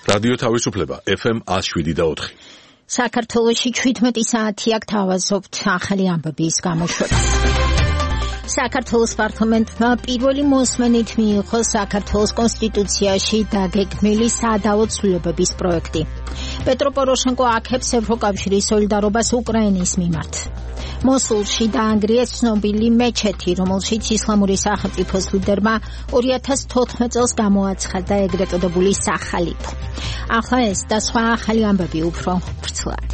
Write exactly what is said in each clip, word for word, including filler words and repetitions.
რადიო თავისუფლება ეფ ემ ათს შვიდი და ოთხი. საქართველოში ჩვიდმეტი საათი აქ თავაზობთ ახალი ამბების გამოშვებას. საქართველოს პარლამენტმა პირველი მოსმენით მიიღო საქართველოს კონსტიტუციაში დაგეგმილი საადავო ცვლილებების პროექტი. პეტრო პოროშენკო აქებს ევროკავშირის სოლიდარობას უკრაინის მიმართ. მოსულში დაანგრიეს ცნობილი მეჩეთი, რომელშიც ისლამური სახელმწიფოს ლიდერმა ორი ათას თოთხმეტ წელს გამოაცხადა ეგრეთ წოდებული სახალიფო. ახლა ეს და სხვა ახალი ამბები უფრო ვრცლად.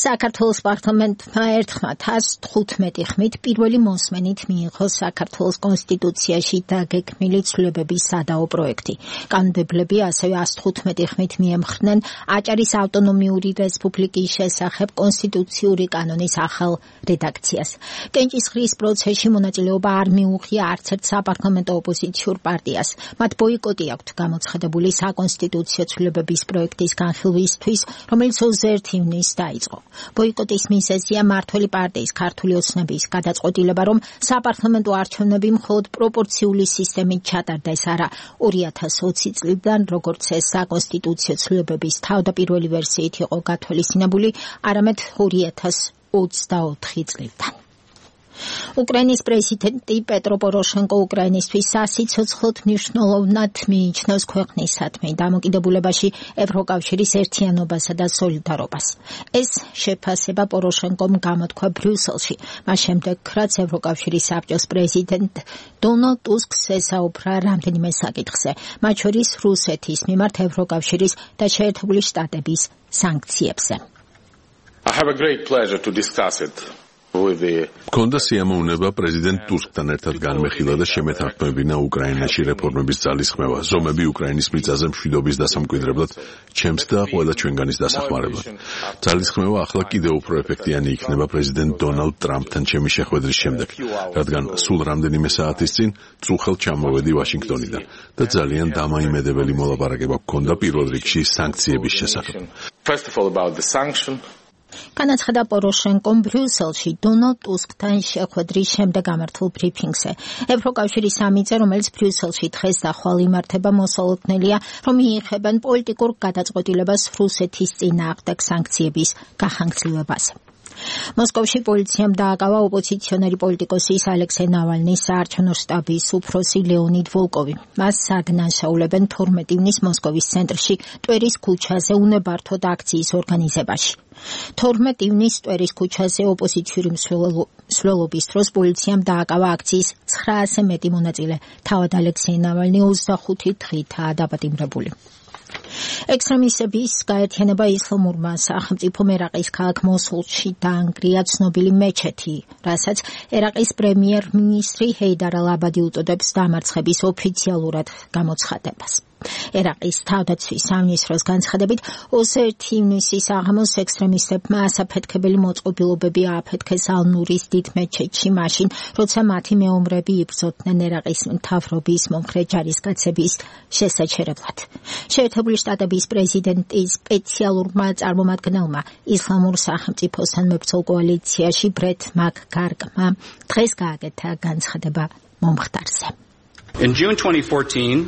საქართველოს პარლამენტმა ერთხმად ათას თხუთმეტი ხმით პირველი მოსმენით მიიღო საქართველოს კონსტიტუციაში დაგეგმილი ცვლილებების საადავო პროექტი. კანონმდებლები ასევე ათას თხუთმეტი ხმით მიემხრნენ აჭარის ავტონომიური რესპუბლიკის შესახებ კონსტიტუციური კანონის ახალ რედაქციას. კენჭისყრის პროცესში მონაწილეობა არ მიუღია არც ერთ საპარლამენტო ოპოზიციურ პარტიას. მათ ბოიკოტი აქვთ გამოცხადებული საკონსტიტუციო ცვლილებების პროექტის განხილვისთვის, რომელიც ოცდაერთი ივნისს დაიწყო. ბოიკოტის მიზეზია მმართველი პარტიის ქართული ოცნების გადაწყვეტილება, რომ საპარლამენტო არჩევნები მხოლოდ პროპორციული სისტემით ჩატარდეს, არა ორი ათას ოცი წლიდან, როგორც ეს საკონსტიტუციო ცვლილებების თავდაპირველი ვერსიით იყო გათვალისწინებული, არამედ ორი ათას ოცდაოთხი წლიდან. უკრაინის პრეზიდენტი პეტრო პოროშენკო უკრაინისთვის სასიცოცხლოდ მნიშვნელოვნად მიიჩნევს ქვეყნისადმი დამოკიდებულებაში ევროკავშირის ერთიანობასა და სოლიდარობას. ეს შეფასება პოროშენკომ გამოთქვა ბრიუსელში, მას შემდეგ, რაც ევროკავშირის საბჭოს პრეზიდენტ დონალდ ტუსკს ესაუბრა რამდენიმე საკითხზე, მათ შორის რუსეთის მიმართ ევროკავშირის და შეერთებული შტატების სანქციებზე. I have a great pleasure to discuss it. მქონდა სიამოვნება პრეზიდენტ ტუსკთან ერთად განმეხილა და შემეთანხმებინა უკრაინაში რეფორმების ძალისხმევა, ზომები უკრაინის მიწაზე მშვიდობის დასამკვიდრებლად, ჩემს და ყველა ჩვენგანის დასახმარებლად. ძალისხმევა ახლა კიდევ უფრო ეფექტიანი იქნება პრეზიდენტ დონალდ ტრამპთან ჩემი შეხვედრის შემდეგ, რადგან სულ რამდენიმე საათის წინ წუხელ ჩამოვედი ვაშინგტონიდან და ძალიან დამაიმედებელი მოლაპარაკება გქონდა პირველ რიგში სანქციების შესახებ. First of all about the sanction. განაცხადა პოროშენკომ ბრიუსელში დონალდ ტუსკთან შეხვედრის შემდეგ გამართულ ბრიფინგზე. ევროკავშირის სამიტზე, რომელიც ბრიუსელში დღეს და ხვალ იმართება, მოსალოდნელია, რომ მიიღებენ პოლიტიკურ გადაწყვეტილებას რუსეთის წინააღმდეგ სანქციების გახანგრძლივებაზე. მოსკოვში პოლიციამ დააკავა ოპოზიციონერი პოლიტიკოსის ალექსეი ნავალნის საარჩევნო შტაბის უფროსი ლეონიდ ვოლკოვი. მას საგნანშაულებენ თორმეტი ივნის მოსკოვის ცენტრში ტვერის ქუჩაზე უნებართოდ აქციის ორგანიზებაში. თორმეტი ივნის ტვერის ქუჩაზე ოპოზიციური მსვლელობის დროს პოლიციამ დააკავა აქციის ცხრაასზე მეტი მონაწილე. თავად ალექსეი ნავალნი ოცდახუთი დღითაა დაპატიმრებული. ექსტრემისტების გაერთიანება ისლამურმა სახელმწიფომ ერაყის ქალაქ მოსულში დაანგრია ცნობილი მეჩეთი, რასაც ერაყის პრემიერ-მინისტრი ჰეიდარ ალ-აბადი უწოდებს დამარცხების ოფიციალურად გამოცხადებას. ერაყის თავდაცვის სამინისტროს განცხადებით, ოცდაერთი ივნისის აღამოს ექსტრემისტებმა ასაფეთქებელი მოწყობილობები ააფეთქეს ალ-ნურის დიდ მეჩეთში მაშინ, როცა მათი მეომრები იბრძოდნენ ერაყის მთავრობის მომხრე ჯარისკაცების შესაჩერებლად. შეერთებული შტატების პრეზიდენტის სპეციალურმა წარმომადგენელმა ისლამურ სახელმწიფოსთან მებრძოლ კოალიციაში ბრეთ მაკ-გარკმა დღეს გააკეთა განცხადება მომხდარზე. In June twenty fourteen,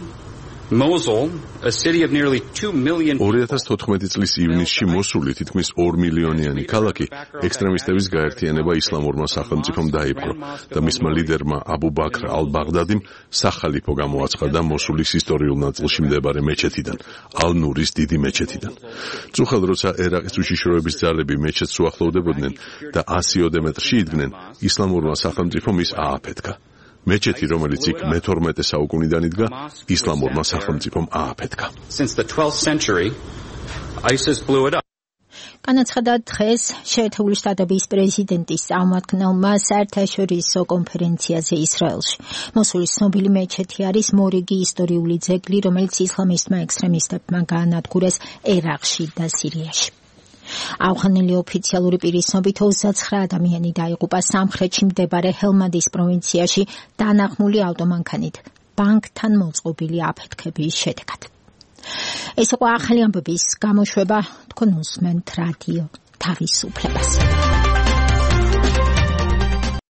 Mosul, a city of nearly two million ორი ათას თოთხმეტი წლის ივნისში მოსული თითქმის ორ მილიონიანი ქალაქი ექსტრემისტების გაერთიანება ისლამურმა სახელმწიფომ დაიპყრო და მისმა ლიდერმა აბუ ბაქრ ალ-ბაღდადიმ სახალიფო გამოაცხადა მოსულის ისტორიულ ნაწილში მდებარე მეჩეთიდან, ალ-ნურის დიდი მეჩეთიდან. წუხელ როცა ერაყის უშიშროების ძალები მეჩეთს უახლოვდებოდნენ და ასიოდე მეტრში იდგნენ, ისლამურმა სახელმწიფომ ის ააფეთქა. მეჩეთი, რომელიც იქ მეთორმეტე საუკუნიდან იდგა, ისლამურმა სახელმწიფომ ააფეთქა. Since the twelfth century, ISIS blew it up. განაცხადა დღეს შეერთებული შტატების პრეზიდენტის წარმომადგენელმა საერთაშორისო კონფერენციაზე ისრაელში. მოსულის ცნობილი მეჩეთი არის მორიგი ისტორიული ძეგლი, რომელიც ისლამისტმა ექსტრემისტებმა გაანადგურეს ერაყში და სირიაში. ავღანელი ოფიციალური პირის ცნობით ოცდაცხრა ადამიანი დაიღუპა სამხრეთში მდებარე ჰელმანდის პროვინციაში დანაღმული ავტომანქანით ბანკთან მოწყობილი აფეთქების შედეგად. ეს იყო ახალი ამბების გამოშვება, თქვენ უსმენთ რადიო თავისუფლებას.